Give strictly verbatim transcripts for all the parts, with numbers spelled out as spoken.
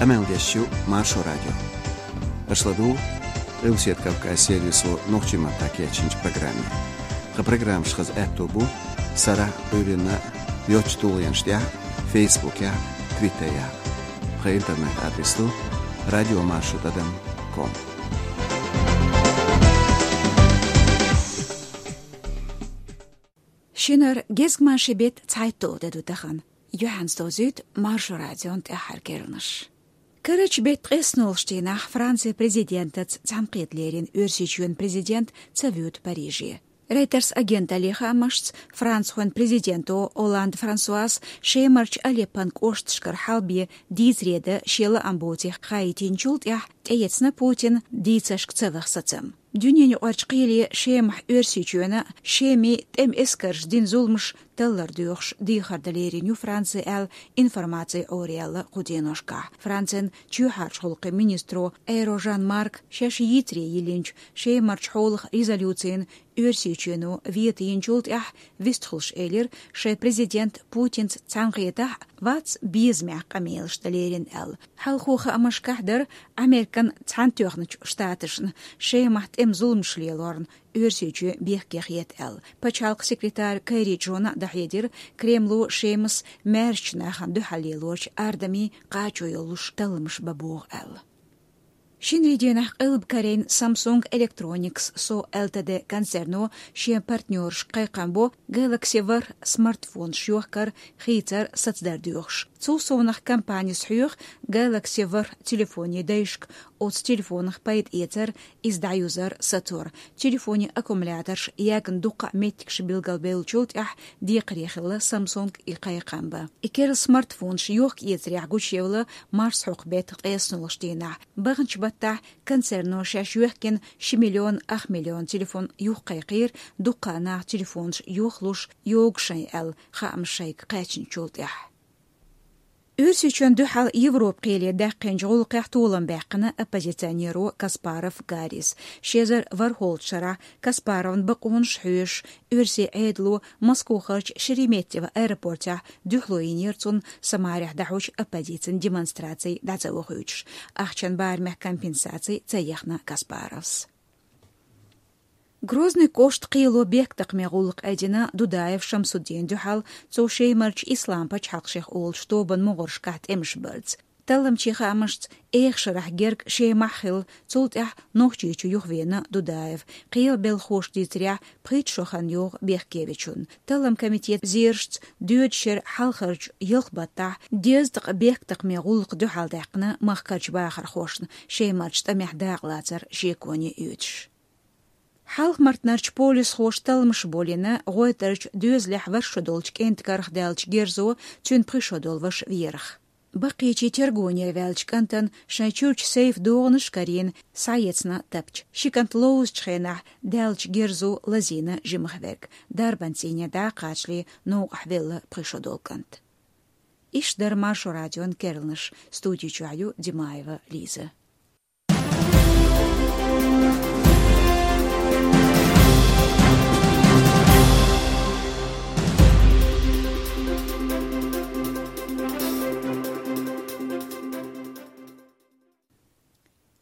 Къамел деш ю Маршо радио. Аша ладугӀу Къилбаседа Кавказ сервисо нохчийн маттахь кечйинчу программе. Тхан программаш хаза аьтто бу сарахь а, Ӏуьйранна а йоцчу тулгӀенаш тӀехь а, Фейсбукехь а, Твиттерехь а. Тхан интернет-адрес ду радиомаршо тӀадам ком. Шинара гезгмашин беттан цхьайтталгӀа де ду тахана. Юьхьанца довзуьйту Маршо радион тӀаьххьара керланаш. Карарчу беттан ткъеснолгӀачу дийнахь Францин президентаца цхьаьнакхета лерина Оьрсийчоьнан президент ца воьду Париже. Рейтерс агенталлин хаамашца, францхойн президенто Олланд Франсуас Шемарчу Алеппон кӀошташкара хьалабе дийцаре дан шен лаам боций хаийтинчул тӀаьхьа тӀеэцна Путина дийцаршка ца ваха сацам. Дуьненаюкъарчу кхеле Шемахь Оьрсийчоьнан а, Шеман тӀеман эскарша дина зуламаш таллар доьхуш дехар дан лерина ю Франци аьлла информаци Ӏораяьлла кху деношкахь. Францин чоьхьарчу гӀуллакхийн министро Эйро Жан-Марк шаьш йийцаре йиллинчу Шемарчу хьолах резолюцина Оьрсийчоьно вето йинчул тӀаьхьа вистхуьлуш элира, шайн президент Путинца цхьаьнакхетахь а вац безамехь къамелаш дан лерина аьлла. Хьалхо хаамашкахь дара Американ Цхьаьнатоьхначу Штаташна Шемахь тӀеман зуламаш лелорна Оьрсийчоь бехке хета аьлла. Пачхьалкхан секретара Керри Джона а дӀахьедира, Кремло Шемас маьршачу нахана дуьхьал лелорчу ардамийн кхачо йолуш талламаш бан боху аьлла. Шинарин дийнахь Къилба Корейн Samsung Electronics Co Ltd концерно шен партнерашка кхайкхам бо Galaxy ворхӀ смартфонаш йохкар, хийцар сацадар доьхуш. Цул совнаха компанис хьоьху Galaxy ворхӀ телефонийн дайшка оцу телефонах пайда эцар, иза дӀаюзар, сацор. Телефонийн аккумуляторш ягна дуккха а меттигаш билгалбевллачул тӀаьхьа декхаре хилла Samsung и кхайкхам бан. И керла смартфонаш йохка-эцарехь гучуевлла марсхьокху беттан ткъеснолгӀачу дийнахь. Баханчу баттахь концерно шаьш йоьхкина ши миллион ах миллион телефон юхакхайкхийра, дуккха а нах телефонаш йохалуш йогу шайн аьлла, хаамаш шайга кхаьчначул тӀаьхьа. Оьрсийчоьнна дуьхьал Европа кхеле даьккхинчу гӀуллакхехь толам баьккхина оппозиционеро Каспаров Гаррис. Ши эзар ворхӀалгӀачу шарахь Каспаровн бакъонаш хьоьшуш, оьрсийн Ӏедало Москвахарчу Шереметьево аэропортехь дуьхьало йинера цунна Самарехь дӀахьочу оппозицин демонстраций дӀа ца вохуьйтуш. Ахчан барамехь компенсаций ца ехна Каспаровс. Грозный кӀоштан кхело бехктакхаман гӀуллакх айдина Дудаев Шамсуддина дуьхьал, цо Шемарчу Ислам пачхьалкх шех олучу тобанан могӀаршкахь тӀемаш барца. Талламчийн хаамашца, эха шарахь герга Шемахь хилла, цул тӀаьхьа Нохчийчу юхавеана Дудаев. Кхелан белхахоша дийцарехь, пхийтта шо хан йогӀу бехке вечунна. Талламан комитетан зерашца, доьдучу шеран хьалхарчу ялх баттахь дезткъа бехктакхаман гӀуллакх дуьхьалдаьккхина махкарчу бахархошна, Шемарчу тӀамехь дакъалацар шеконе оьцуш. Хьалха-Мартанарчу полисхоша талламаш болийна ГӀойтӀарчу доьзалехь ворхӀ шо долчу кӀентан карах даьллачу герзо цуьнан пхи шо долу ваша верах. Баккхийчийн тергонера ваьллачу кӀантана шайн чуьрчу сейфан догӀанаш карийна, схьаэцна тапча. Ши кӀант ловзучу хенахь даьллачу герзо лазийна жимах верг. Дарбан цӀийне дӀа а кхачале, новкъахь велла пхи шо долу кӀант. Иштта дара Маршо радион керланаш. Студи чохь ю Димаева Лиза.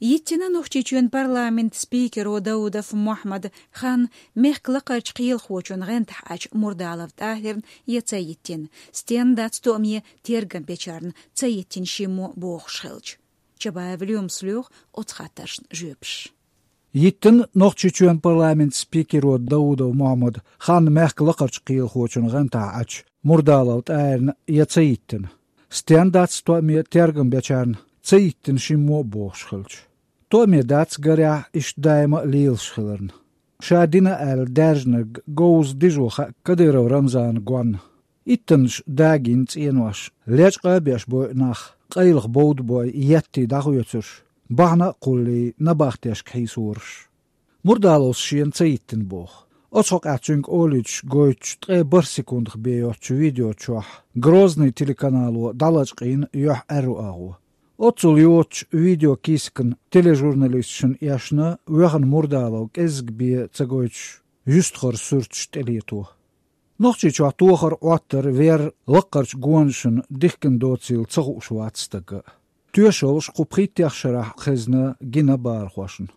Йиттина Нохчийчоьнан парламентан спикеро Даудов Мохьмада хан мехкан лакхарчу кхелахочун гӀантахь Ӏачу Мурдалов ТӀахӀирна я ца йиттина, стенна дац тоъаме тергам бечарна ца йиттина шиммо бохуш хилча. Чабаев Лоьмас лоьху оцу хаттаршна жоьпаш. Йиттина Нохчийчоьнан парламентан спикеро Даудов Мохьмада хан мехкан лакхарчу кхелахочун гӀантахь Ӏачу Мурдалов ТӀахӀирна я ца йиттина, стенна дац тоъаме тергам бечарна ца йиттина шиммо а бохуш хилча. Тоъаме дац, гарехь, иштта даима а лелаш хиларна. Ша дина аьлла даьржинарг говза дижо хаьа Кадыров Рамзана гонна. Иттаннаш дагийна цӀенош, лечкъа а беш бойу нах, къайлаха бовда бой еттий дӀахоьцурш, бахьана а кхуллий набахтешка хьийсораш. Мурдаловс шена ца йиттина боху. Оцу хьокъехь цуьнга олуьйтуш гойтучу ткъе бархӀ секундах бен йоцучу видео чохь Грозный телеканало дӀалачкъийна юьхь-аьрру агӀо. Оццул йоцучу видеокийсакан тележурналисташна эшна воьхна Мурдалов кӀеззиг бен ца гойтуш юьстахара суьрташ тӀелето. Нохчийчохь тохар, Ӏоттар, вер лакхарчу гонашна дихкина доцийла ца хууш вац стага. Тоьшаллаш кху пхийттех шарахь хезна гина бахархошна.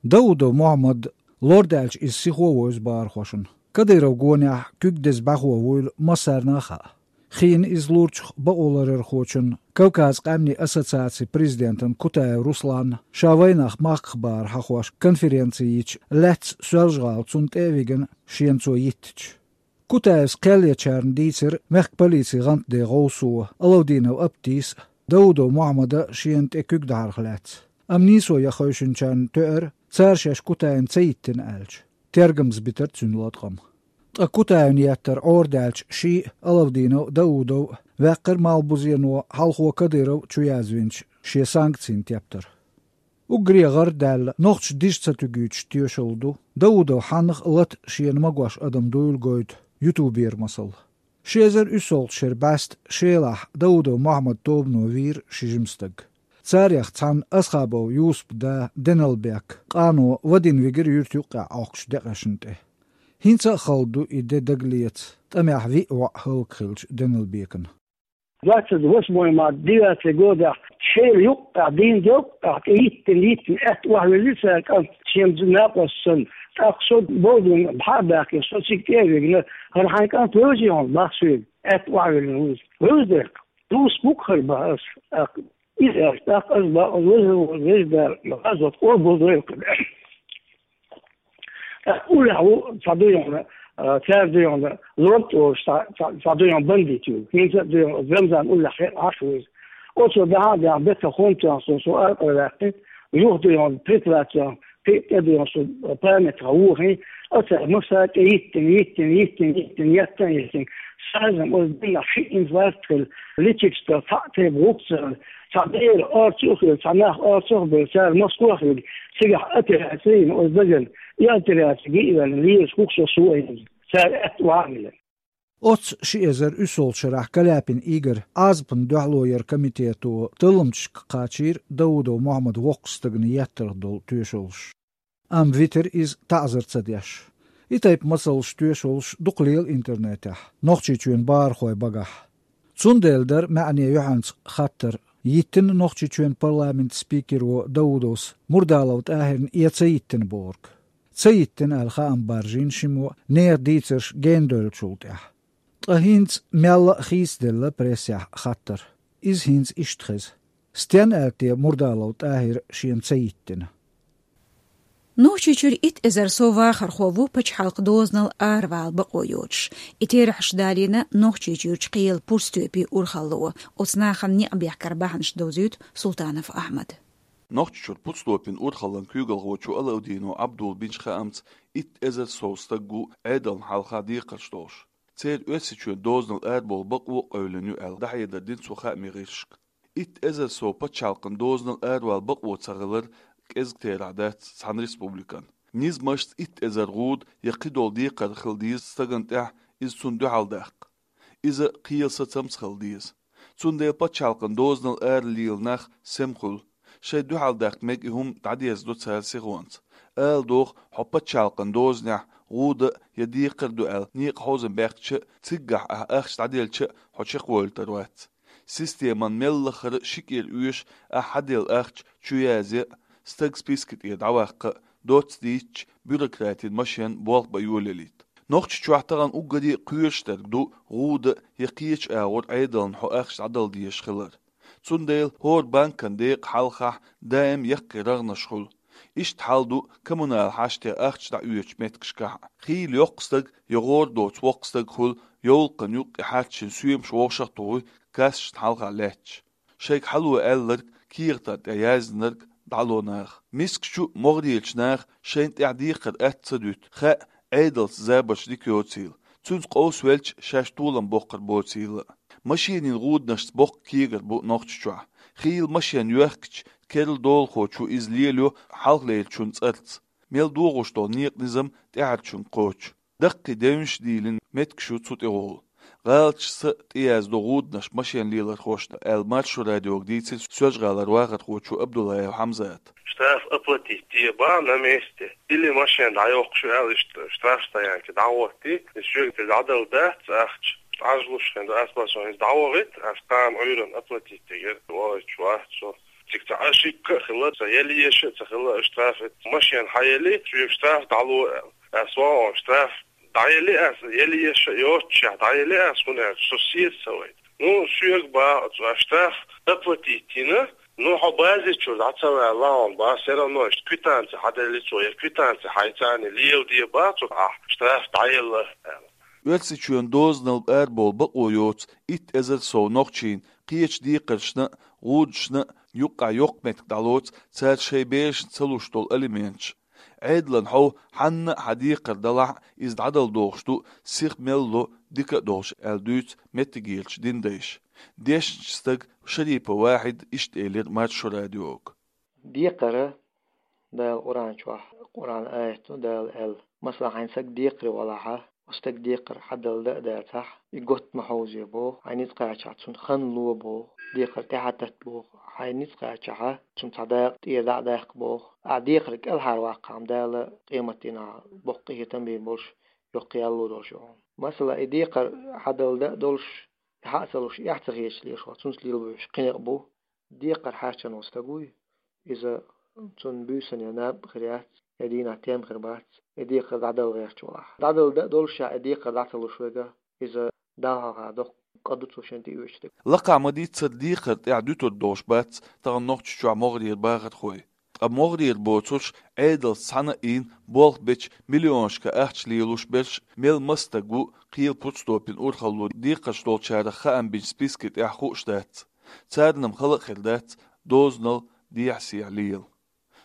Даудов Мухьаммад лорадаьлча иза сихо вевза бахархошна. Кадыров гонехь куьг деза бӀаьхо вуйла массарна а хаьа. Хиъна иза лорачух бакъоларъярхочун, Кавказан къаьмнийн ассоциацин президентан Кутаев Русланна ша вайнах махках бахар хьахош конференци йича лаьцна Соьлжа-ГӀала, цунна тӀе а вигна, шена цо йиттича. Кутаевс кхел ечарна дийцира мехкан полицин гӀантден гӀовсо Алавдинов Аптис а, Даудов Мухьаммада а шена тӀе куьг дахьарх лаьцна. Амма нийсо ян хевшинчарна тоьара, цара шаьш Кутаевна ца йиттина аьлча. Тергамза битира цуьнан латкъам. Ткъа Кутаевна еттар Ӏорадаьлча, ший а, Алавдинов а, Даудов а ваьккхира Малхбузено хьалхо Кадыров чуязвинчу шен санкцийн тептар. Уггаре гӀар а даьлла, нохчаша дижа ца туьгуьйтуш тоьшалла ду, Даудов хьаннах а лата шена магош адам дуйла гойту ютубера масал. Ши эзар уьссалгӀачу шеран бӀаьста Шелахь Даудов Мухьаммадан тобано вийра ши жима стаг. Царех цхьанна Асхабов Юсупан да Деналбек, къано Вадим вигира юьртан юккъехь Ӏохкучу декъашна тӀе. ХӀинца а хала ду и де дагалеца, тӀамехь виъ воӀ хӀаллакьхилча Деналбекана. Двадцать восьмой марта, девятый годехь, Шелан юккъехь, дийнан делкъехь, тӀе йиттина, йиттина, аьтта охьавиллина цара кӀант, шен накъост санна. ТӀаккха со бовдина, бӀаьхьа а баьхкина, со цига тӀе а вигна, хӀара хьайн кӀант вевзий хьуна, бах соьга, аьтта охьавиллина ву иза. Вевза дерг. Дус бу-кх хӀара, бах ас, тӀаккха. Иза аьлча, тӀаккха ас бах, ас веза, веза Дала, ас вот къобал дойла. ТӀаккха уллехь ву, цхьа дуй хьуна, а, цара дуй хьуна, лорд олуш цхьа, цхьа, цхьа дуй хьуна бандит ю. ХӀинца а дуй хьуна, Рамзан уллехь хе-, Ӏаш ву иза. Оцо баьхьа а баьхна, бетта хӀунда тоьхна со, со аркъа ваьккхи, юха дуй хьуна, прикрывать йоьхна, кхин а тӀе дуй хьуна, со памятха вохий, оцара массара а тӀе йиттина, йиттина, йиттина, йиттина, еттан а еттина. Сазам оцу дийнахь ши инфаркт хилла, личикаш цхьаъ тайпа гӀуллакх ца хилла, цхьа бер орцах а хилла, цхьа нах орцах а бевлла, цара Москвахь вигна, цигахь операци а йина оцу дагана. И операци гиъ а ваьлла, лелаш хӀокху шо со а йина, цара аьтта охьа а виллина. Оццу ши эзар уьссалгӀачу шарахь Каляпин Игорь Ӏазапна дуьхьало яран комитето талламчашка кхачийра Даудов Мухьаммадан воккхачу стагана еттарх долу тоьшаллаш. Амма витира иза таӀзар ца деш. И тайпа масалш, тоьшаллаш дукха лела интернетехь, Нохчийчоьнан бахархойн багахь. Цундела дара маьӀне юьхьанца хаттар, йиттина Нохчийчоьнан парламентан спикеро Даудовс Мурдалов ТӀахӀирна я ца йиттина бохург. Ца йиттина аьлла хаам баржийна шиммо нехан дийцарш гена девллачул тӀаьхьа. Ткъа хӀинца мелла а хийцаделла прессехь хаттар. Иза хӀинца иштта хеза: стенна аьлла те Мурдалов ТӀахӀира шена ца йиттина? Нохчийчуьра итт эзар сов вахархо ву пачхьалкхан дозанал аравала бакъо йоцуш. И терахьаш далийна Нохчийчуьрчу кхелан Пурстоьпийн урхалло. Оцу нахана некъ бехкаран бахьанаш довзуьйту Султанов Ахьмада. Нохчийчуьра Пурстоьпийн урхаллан куьйгалхочо Алавдинов Ӏабдулла бинчу хаамца, итт эзар сов стаг ву Ӏедална хьалха декхарш долуш. Церан Оьрсийчоьнан дозанал арабовла бакъо а къевлина ю аьлла, дӀахьедар дина цо хаамийн гӀирсашка. Итт эзар сов пачхьалкхан дозанал аравала бакъо ца хилар кӀезиг терахь дац цхьана республикана. Низамашца итт эзар гӀуда я кхидолу декхар хила деза стагана тӀехь, иза цунна дуьхьал даккха. Иза кхелан сацамца хила деза. Цундела пачхьалкхан дозанал ара лелийна нах сема хуьлу. Шайн дуьхьал даккха мега и хӀума дӀадерзадо цара сихонца. Ала догӀу, хьо пачхьалкхан дозанехь гӀуда а я декхар а ду аьлла, некъа хьовзам баьккхича а, циггахь ахь ахча дӀаделча а, хьо чекхвойлур вац. Системан мел лахара ши кӀира оьшу ахь хьаделла ахча чуязъян а, стаг списка тӀера дӀаваккха а, доцца дийцича, бюрократийн машен болх бан йолаялийта. Нохчийчохь тахана уггаре а кхоьруш дерг ду гӀуда а я кхечу агӀор Ӏедална хьо ахча дӀадала дезаш хилар. Цундела хӀора банкан декъа хьалхахь даим яккхий рагӀнаш хуьлу. Иштта хьал ду коммунал хьаштех ахча дӀаоьцучу меттигашкахь а. Хийла йоккха стаг я гӀора доцу воккха стаг хуьлу йовлакхана юккъе хьарчийна соьмаш вовшах а тухуй, кассашна хьалха лаьтташ. Шайга хьало аьлларг, кехатан тӀе яздинарг дӀало наха. Мискачу а, могӀарерчу наха шайна тӀехь декхар атта ца дуьту, хаьа, Ӏедалца забарш дика йоцийла. Цуьнца къовсавелча, шаьш толам боккхур боцийла а. Машенийн гӀуданашца боккха кегар бу Нохчийчохь. Хийла машен йоьхкича, керла долахочо иза лелайо хьалхалерчун цӀарца. Мел догӀуш долу некъан низам тӀаьхьарчуьнга кхочу. Даккхий девнаш а дийлина меттигаш ю цу тӀехула. ГӀалаташца а тӀеяздо гӀуданаш машен лелорхошна, аьлла Маршо радиога дийцира Соьлжа-ГӀалара вахархочо Абдуллаев Хьамзата. Штраф оплатить, тебе на месте, или машен дӀайоккхуш ю аьлла, иштта штрафстоянке дӀагӀоттий, и шуьга дӀадала дац ахча. Ӏажалуш хинна да, аз бац, хӀинца дӀавахийта, аз кхана Ӏуьйранна оплатить дигира, вахийта вац со. Цига цхьа ошибка а хилла, цхьа яла езаш а ца хилла, оаш штраф, машен хьаелли, шуьга штраф дӀало аьлла. Аз вахана штраф дӀаелли аз, яла езаш а йоццушехь дӀаелли аз, хӀунда аьлча со сийца ца вайта. Ну, шуьга бах, оцу аз штраф оплатить йина, ну, хьо базе чуьра дӀа ца ваьлла хьуна бах, всё равно иштта квитанци хьаделли цо, я квитанци хьайца леладе бах цо, ахь штраф дӀаелла аьлла. Оьрсийчоьнан дозанал арабовла бакъо йоцу итт эзар сов нохчийн кхечу декхаршна а, гӀудашна а юккъехь йоккха меттиг дӀалоцу цара шайн берашна ца луш долу алименташ. Ӏедалан хьовха, хьанна а хьан декхар далахь а, иза дӀадала догӀуш ду, сиха мел ло дика а долуш, аьлла дуьйцу меттигерчу динан дайша. Дешначу стага Шарипов Вахьида иштта элира Маршо радиога. Декхар Дала Къуръан чохь, Къуръан аят ду Дала аьлла: «Масала, хьайн стаг декхаре валахь, оцу стеган декхар хьадала дан а дацахь, и готта ма хьовзае боху, хьайн ницкъ кхачахь цунна хан ло боху, декхар тӀаьхьа татта боху, хьайн ницкъ кхачахь цунна цхьа дакъа тӀера дӀа а даккха боху. Ахь декхарг кӀелхьара ваккхахь-м, Дала къематдийнахь боккха къинхетам бийр болуш, йоккха ял лур долуш ю хьуна. Масала, и декхар хьадала дан а долуш, и хьа а ца луш, эхь ца хеташ лелаш ву, цунца лелабеш кхин некъ бу». Декхар хьаьрчина волу стаг вуй, иза, цунна буьйсанна я наб хир яц, я дийнахь тем хир бац, и декхар дӀадала гӀерташ валахь. ДӀадала дан а долуш, ша и декхар дӀа ца луш верг, иза Далла хьалха доккха къа ду цо шен тӀеоьцуш дерг. Лакхахь ма-дийццара декхар тӀехь дуьтур долуш бац тахана Нохчийчохь могӀарера бахархой. Ткъа могӀарера боцурш Ӏедалца цхьаьна а ийна, болх бечу миллионашка ахча лелош берш мел маса стаг ву, кхелан пуц топина урхалло декхарш долчарах хаам бинчу списке тӀехь хууш дац. Царна-м хала а хир дац дозанал дехьа-сехьа лела.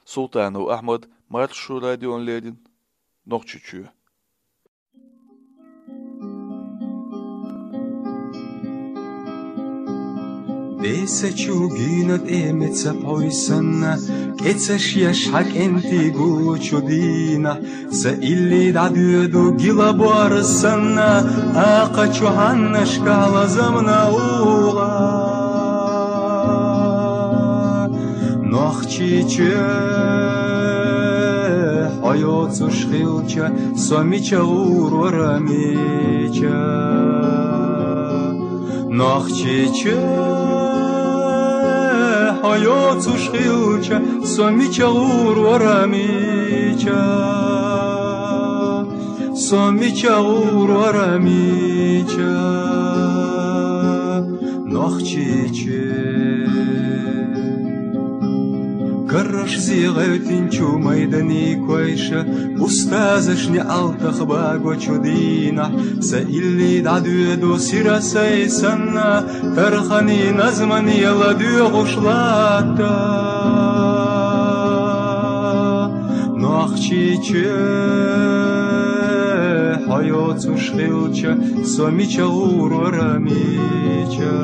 Султанов Ахьмад, Маршо радиона леррина, Нохчийчоь. Бесачу гуьйна тӀе меца пхьой санна, кӀецаш еш хьан кӀентий гучу дийнахь, сан илли дӀадоьду гила бор санна, акхачу хьаннашкахь лазамна угӀа. Нохчийчоь, хьо йоцуш хилча, со мича гӀур вара, мича? Нохчийчоь, хьо йоцуш хилча, со мича гӀур вара, мича? Со мича гӀур вара, мича? Нохчийчоь. Каррашза гӀевттинчу майданийн койша, устазашна неӀалтах багочу дийнахь, сан илли дӀадоьду сира сай санна, тарханийн назманийн ладоьгӀуш латта. Нохчийчоь, хьо йоцуш хилча, со мича гӀур вара, мича?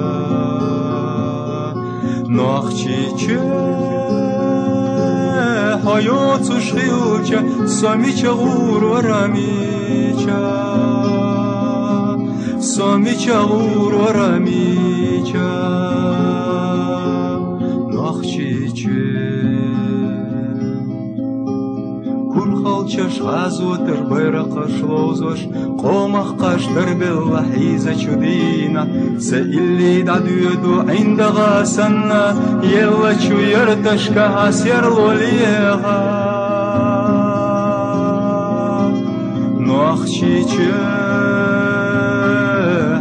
Нохчийчоь, хьо йоцуш хилча, со мича гӀур вара, мича? Со мича гӀур вара, мича? Нохчийчоь. Курхалчаш гӀазотан байракхаш ловзош, къомах кхаж дарбелла хьийзачу дийнахь, сан илли дӀадоьду ӀиндагӀа санна, еллачу ярташкахь серло леха. Нохчийчоь,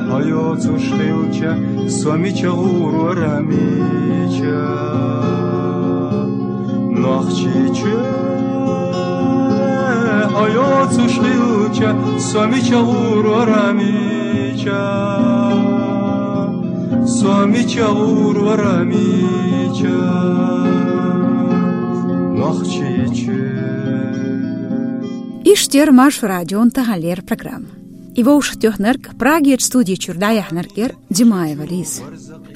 хьо йоцуш хилча, со мича гӀур вара, мича? Нохчийчоь, хьо йоцуш хилча, со мича гӀур вара, мича? Со мича гӀур вара, мича? Нохчийчоь. Иштта яра Маршо радион таханлера программа. И вовшахтоьхнарг, Прагерчу студи чуьра дӀаяьхьнарг яра Димаева Лиза.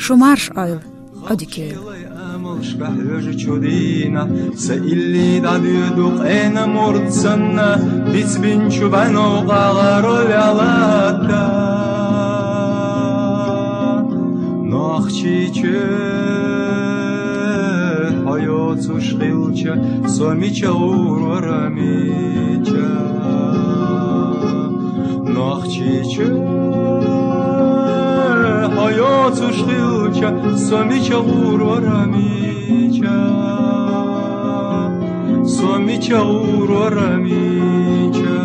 Шу марша Ӏойла, Ӏодика йойла. Амалшка хьоьжучу дийнахь, сан илли дӀадоьду къена мурд санна, бицбинчу бӀаьнов къагӀа роль латта. Нохчийчоь, хьо йоцуш хилча, со мича гӀур вара, мича? Нохчийчоь, Хьо йоцуш хилча, со мича гӀур вара, мича? Со мича гӀур вара, мича?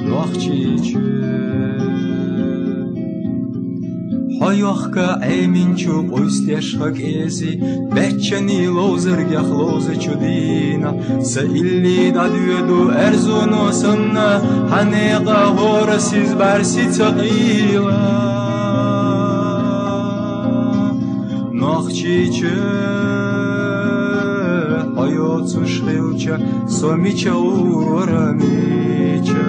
Нохчийчоь. Хьо йохка Ӏеминчу къуйсдеш ха кӀези, беччани ловзаргех ловзачу дийнахь, са илли дӀадоьду аьрзуно санна, хьан некъа хӀора сиз бӀаьрси ца къийла. Нохчийчоь, хьо йоцуш хилча, со мича гӀур вара, мича?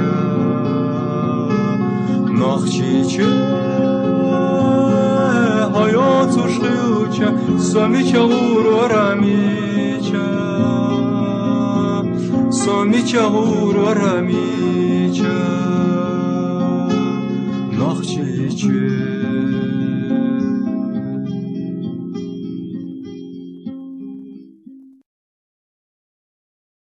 Нохчийчоь, хьо йоцуш хилча, со мича гӀур вара, мича? Со мича гӀур вара, мича? Нохчийчоь.